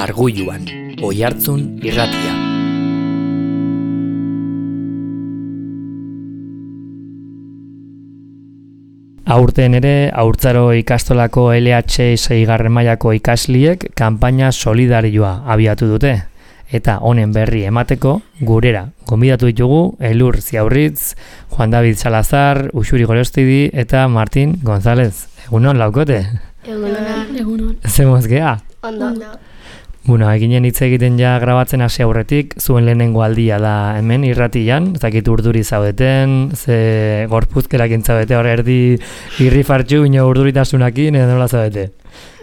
Arguluan, Oihartzun irratia. Aurten ere, haurtzaro ikastolako LH 6. mailako ikasliek kanpaina solidarioa abiatu dute. Eta honen berri emateko, gurera gonbidatu ditugu Elur Ziaurritz, Juan David Salazar, Uxuri Gorostidi eta Martin González. Egunon, laukote? Egunon. Zemoz gea? Ondo. Bueno, eginen hitz egiten ja grabatzen hasi aurretik, zuen lehenengo aldia da hemen irratian, ez dakit urduri zaudeten, ze gorpuzkerak entzabete hor erdi irrifartxu, ino urduritasunakin, edo nola zaudete?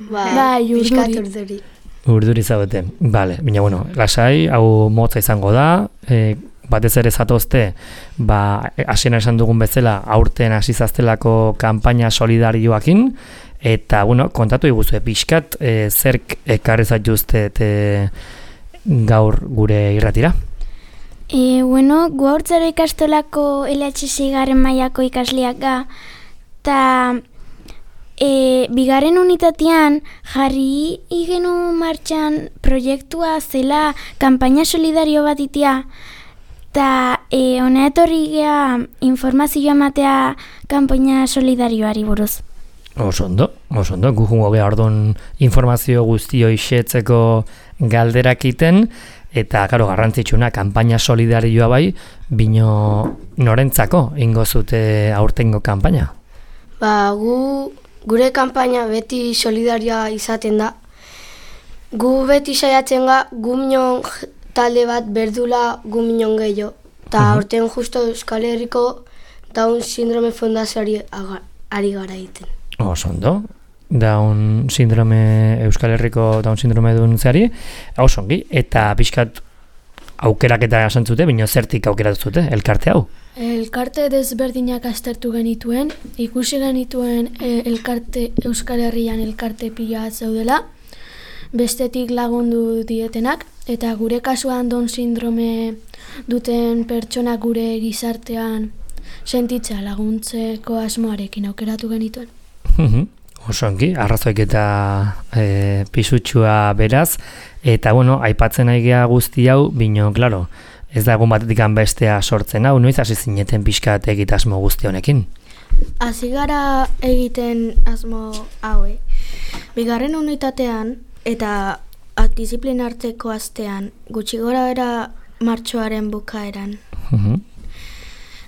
Bai, urduri. Urduri zaudeten, bale, baina bueno, lasai, hau motza izango da, batez ere zatozte, hasieran esan dugun bezala, aurten hasi zaztelako kanpaina solidarioakin, eta, bueno, kontatu iguzue pixkat, zerk ekarri zaituztet gaur gure irratira? Bueno, gu haurtzaro ikastolako LH 6. mailako ikasleak ga, eta bigarren unitatean jarri igenu martxan proiektua zela kanpaina solidario bat itia, eta hona etorri gea informazioa ematea kanpaina solidarioari buruz. Osondo, gu jungo geha orduan informazio guztio isetzeko galderak iten, eta, karo, garrantzitsuna, kanpaina solidarioa bai, bino norentzako ingo zute aurtengo kanpaina? Gure kanpaina beti solidarioa izaten da. Gu beti saiatzen ga, gu minon talde bat berdula gu minon gehiago. Eta aurten justo Euskal Herriko Down Syndrome Fundazioari ari gara egiten. Osondo, Euskal Herriko Down Syndrome duntzeari, osongi, eta pixkat aukeraketa esantzute, bino zertik aukeratu zute, elkarte hau? Elkarte desberdinak aztertu genituen, ikusi genituen Euskal Herrian elkarte pila zeudela, bestetik lagundu dietenak, eta gure kasuan Down Syndrome duten pertsonak gure gizartean sentitza laguntzeko asmoarekin aukeratu genituen. Osongi, arrazoik eta pisutxua beraz, eta bueno, aipatzen aigea guzti hau, bino, klaro, ez da egun batetik bestea sortzen hau, noiz hasi zineten pixkat egit asmo guzti honekin? Hasi gara egiten asmo haue. Bigarren unitatean eta disiplina hartzeko astean, gutxi gora bera martxoaren bukaeran.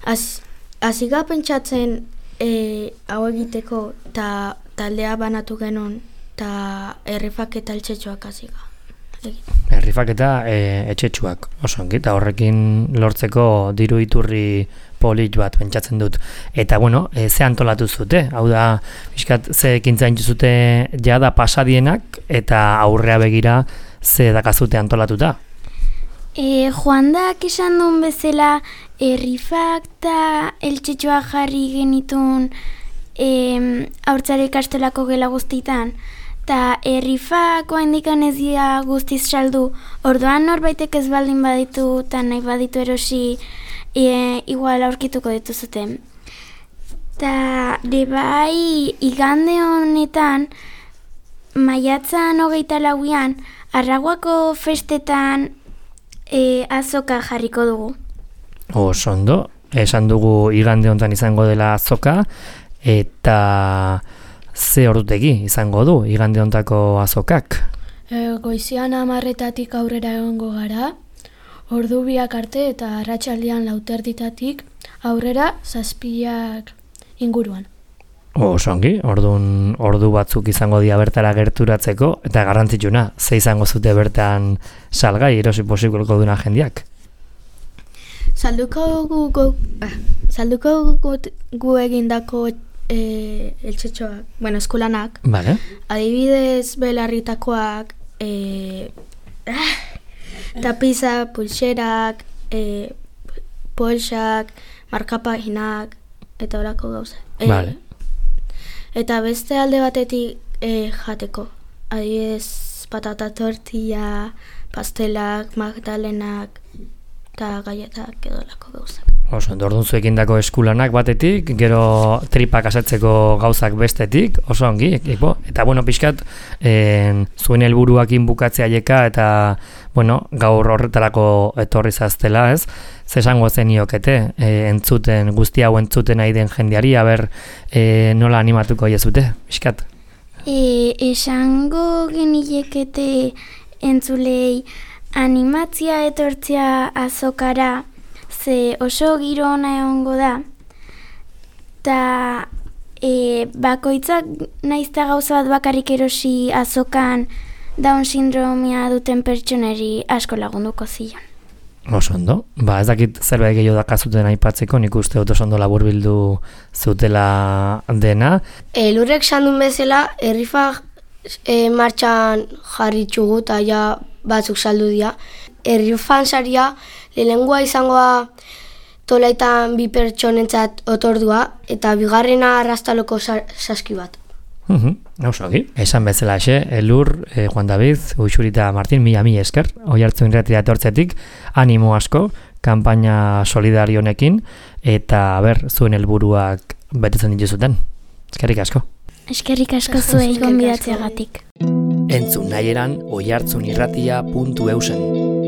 Hasi gara pentsatzen hau egiteko eta taldea banatu genuen eta errifak eta eltsetxoak hasi gara. Errifak eta etxetxuak, osongi, eta horrekin lortzeko diru iturri polit bat pentsatzen dut. Eta, bueno, ze antolatu zute? Hau da, bizkat, ze ekintzain zute jada pasadienak eta aurrea begira ze dakazute antolatuta? Juandak esan duen bezala, errifak eta eltsetxoak jarri genitun haurtzaro ikastolako gela guztitan, eta errifak oaindikan ez dira guztiz saldu, orduan norbaitek ez baldin baditu eta nahi baditu erosi igual aurkituko dituzuten. Eta bai igande honetan, maiatzan 24an, Arraguako festetan azoka jarriko dugu. Osondo, esan dugu igande honetan izango dela azoka, eta ze ordutegi izango du igande honetako azokak? Goizian 10:00 aurrera egongo gara, ordu 2 arte eta arratsaldean 4:00 aurrera 7:00 inguruan. Osongi, ordu batzuk izango dira bertara gerturatzeko, eta garrantzitsuna, ze izango zute bertan salgai erosi posibleko duna jendiak? Salduko gu egindako eltsetxoak, eskulanak. Vale. Adibidez, belarritakoak, tapiza, pulserak, polsak, markapaginak, eta horako gauza. Vale. Eta beste alde batetik jateko. Adibidez, patata tortilla, pastelak, magdalenak, eta galletak edo lako gauzak. Oso, orduan zuekin dako eskulanak batetik, gero tripak asetzeko gauzak bestetik, oso ongi, eta bueno, pixkat, zuen helburuakin bukatzea jeka, eta, bueno, gaur horretarako etorri zaztela, ez? Zesango zeniokete, entzuten, guzti hau entzuten nahi den jendeari, aber, nola animatuko jezute, pixkat? Esango genilekete entzulei animatzia etortzea azokara, ze oso giro ona egongo da, eta bakoitzak naizta gauza bat bakarrik erosi azokan Down sindromia duten pertsoneri asko lagunduko zion. Oso ondo, ez dakit zerbait gehiago dakazuten aipatzeko, nik uste dut oso ondo laburbildu zutela dena. Lurrek sandun bezala, errifak martxan jarri txugu eta ja batzuk saldu dira. Errifan saria lehenengoa izangoa tolaitan 2 pertsonentzat otordua eta bigarrena arrastaloko saski bat. Nausoki. Esan bezala Elur, Juan David, Uxurita Martin, mila esker, Oiartzun irratia etortzetik, animo asko, kanpaina solidario honekin, eta zuen helburuak betetzen dituzuten. Eskerrik asko. Eskerrik asko zuei gonbidatzeagatik. Entzun nahieran oiartzunirratia.eusen.